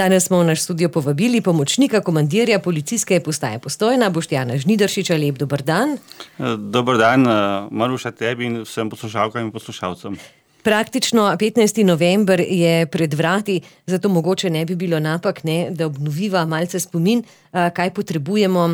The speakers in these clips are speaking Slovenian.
Danes smo v naš studio povabili pomočnika komandirja policijske postaje Postojna, Boštjana Žnidaršiča. Lep dober dan. Dober dan, Maruša, tebi in vsem poslušalkam in poslušalcem. Praktično 15. november je pred vrati, zato mogoče ne bi bilo napak, da obnoviva malce spomin, kaj potrebujemo,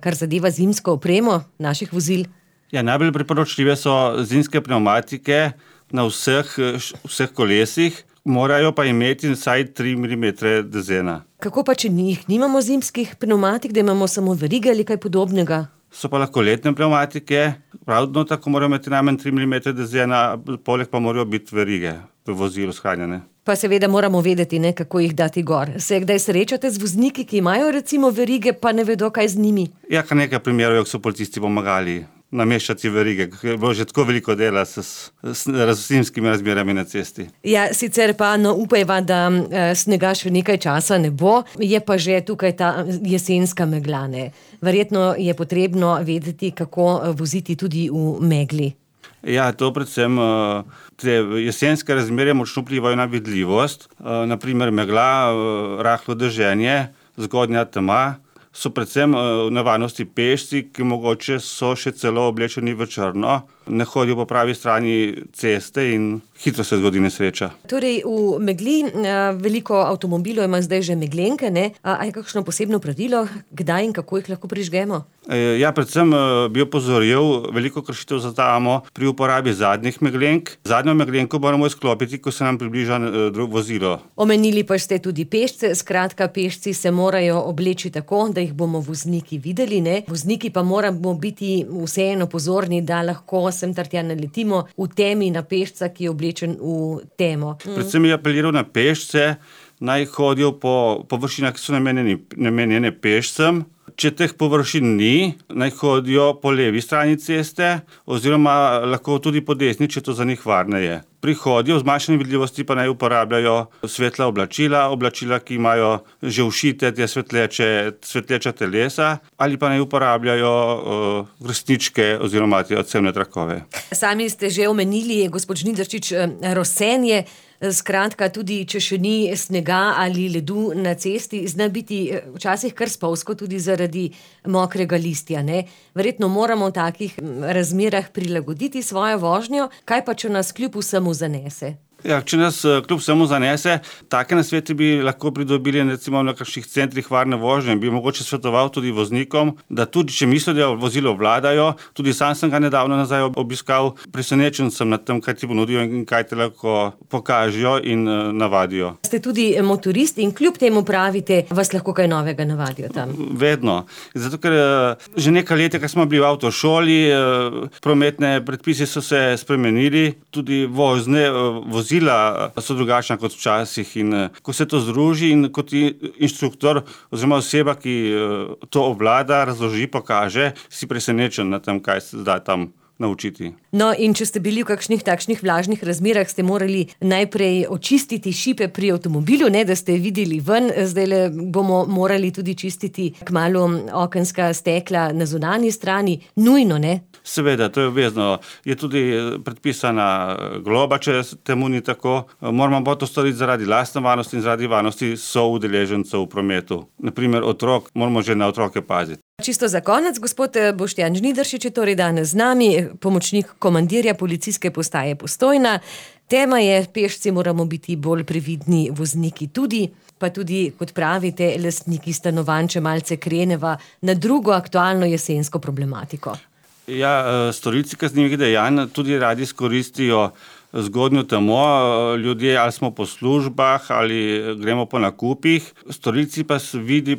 kar zadeva zimsko opremo naših vozil. Ja, najbolj priporočljive so zimske pnevmatike na vseh kolesih, morajo pa imeti vsaj 3 mm dezena. Kako pa, če nimamo zimskih pnevmatik, da imamo samo verige ali kaj podobnega? So pa lahko letne pnevmatike, pravno tako morajo imeti najmanj 3 mm dezena, poleg pa morajo biti verige v vozilu shranjene. Pa seveda moramo vedeti, kako jih dati gor. Se kdaj srečate z vozniki, ki imajo recimo verige, pa ne vedo, kaj z njimi? Ja, kar nekaj primerov, ko so policisti pomagali nameščati verige, ker je bilo že tako veliko dela s zimskimi razmerami na cesti. Ja, sicer pa upajva, da snega še nekaj časa ne bo, je pa že tukaj ta jesenska megla, ne. Verjetno je potrebno vedeti, kako voziti tudi v megli. Ja, to predvsem te jesenske razmere močno vplivajo na vidljivost, naprimer megla, rahlo deženje, zgodnja tema. So predvsem v nevarnosti pešci, ki mogoče so še celo oblečeni v črno, ne hodijo po pravi strani ceste in hitro se zgodi nesreča. Torej v megli veliko avtomobilov ima zdaj že meglenke, ne? A je kakšno posebno pravilo, kdaj in kako jih lahko prižgemo? Ja, predvsem bi opozoril, veliko kršitev zaznavamo pri uporabi zadnjih meglenk. Zadnjo meglenko moramo izklopiti, ko se nam približa vozilo. Omenili pa ste tudi pešce, skratka pešci se morajo obleči tako, da jih bomo vozniki videli, ne? Vozniki pa moramo biti vseeno pozorni, da lahko sem tartja naletimo v temi na pešca, ki je oblečen v temo. Predvsem je apeliral na pešce, naj hodijo po površinah, ki so namenjene pešcem. Če teh površin ni, naj hodijo po levi strani ceste oziroma lahko tudi po desni, če to za njih varneje. Pri hodju v zmanjšani vidljivosti pa naj uporabljajo svetla oblačila, ki imajo že všite te svetleča telesa, ali pa naj uporabljajo vrstničke oziroma te odsevne trakove. Sami ste že omenili, gospod Žnidaršič, rosenje. Skratka, tudi če še ni snega ali ledu na cesti, zna biti včasih kar spolzko tudi zaradi mokrega listja, ne? Verjetno moramo v takih razmerah prilagoditi svojo vožnjo, kaj pa, če nas kljub vsemu zanese? Ja, če nas kljub vsemu zanese, take nasvete bi lahko pridobili recimo na kakšnih centrih varne vožnje. Bi mogoče svetoval tudi voznikom, da tudi če mislijo, da vozilo vladajo, tudi sam sem ga nedavno nazaj obiskal, presenečen sem nad tem, kaj ti ponudijo in kaj te lahko pokažejo in navadijo. Ste tudi motorist in kljub temu pravite, vas lahko kaj novega navadijo tam? Vedno. Zato, ker že nekaj let, ko smo bili v avtošoli, prometne predpisi so se spremenili, tudi vozila so drugačna kot včasih in ko se to združi in kot inštruktor oziroma oseba, ki to obvlada, razloži, pokaže, si presenečen na tem, kaj se da tam naučiti. No, in če ste bili v kakšnih takšnih vlažnih razmerah, ste morali najprej očistiti šipe pri avtomobilu, da ste videli ven, zdajle bomo morali tudi čistiti kmalu okenska stekla na zunanji strani, nujno, ne? Seveda, to je obvezno. Je tudi predpisana globa, če temu ni tako. Moramo pa to storiti zaradi lastne varnosti in zaradi varnosti soudeležencev v prometu. Naprimer, otrok, moramo že na otroke paziti. Čisto za konec, gospod Boštjan Žnidaršič je torej danes z nami, pomočnik komandirja policijske postaje Postojna. Tema je, pešci moramo biti bolj previdni, vozniki tudi, pa tudi, kot pravite, lastniki stanovanj, če malce kreneva na drugo aktualno jesensko problematiko. Ja, storilci kaznivih dejanj tudi radi izkoristijo zgodnjo temo, ljudje ali smo po službah ali gremo po nakupih. Storilci pa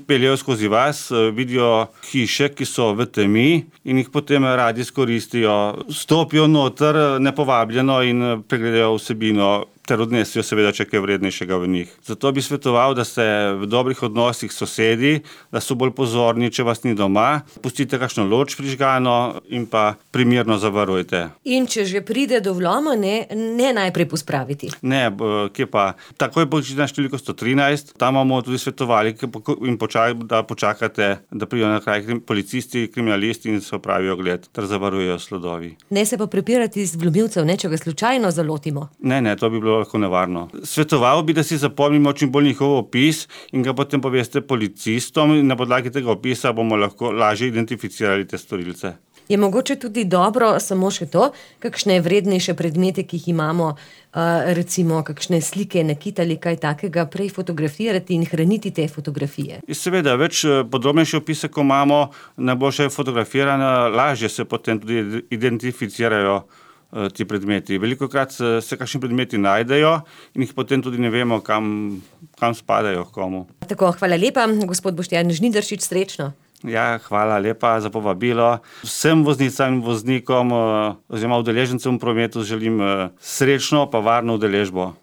peljejo skozi vas, vidijo hiše, ki so v temi in jih potem radi izkoristijo. Stopijo noter nepovabljeno in pregledajo vsebino ter odnesijo seveda če kaj vrednejšega v njih. Zato bi svetoval, da ste v dobrih odnosih s sosedi, da so bolj pozorni, če vas ni doma, pustite kakšno luč prižgano in pa primerno zavarujte. In če že pride do vloma, ne najprej pospraviti. Ne, kje pa. Takoj pokličite na številko 113, tam bomo tudi svetovali in da počakate, da pridejo na kraj policisti, kriminalisti in se opravijo ogled ter zavarujejo sledovi. Ne se pa prepirati z vlomilcev, če ga slučajno zalotimo. Ne, to bi bilo bilo lahko nevarno. Svetoval bi, da si zapomnimo čim bolj njihov opis in ga potem poveste policistom in na podlagi tega opisa bomo lahko lažje identificirali te storilce. Je mogoče tudi dobro samo še to, kakšne vrednejše predmete, ki jih imamo, recimo kakšne slike, nakit ali kaj takega, prej fotografirati in hraniti te fotografije? Seveda, več podrobnejše opise, ko imamo, najboljše je fotografirano, lažje se potem tudi identificirajo ti predmeti. Velikokrat se kakšni predmeti najdejo in jih potem tudi ne vemo, kam spadajo, komu. Tako, hvala lepa, gospod Boštjan Žnidaršič, srečno. Ja, hvala lepa za povabilo. Vsem voznicam in voznikom oziroma udeležencem v prometu želim srečno pa varno udeležbo.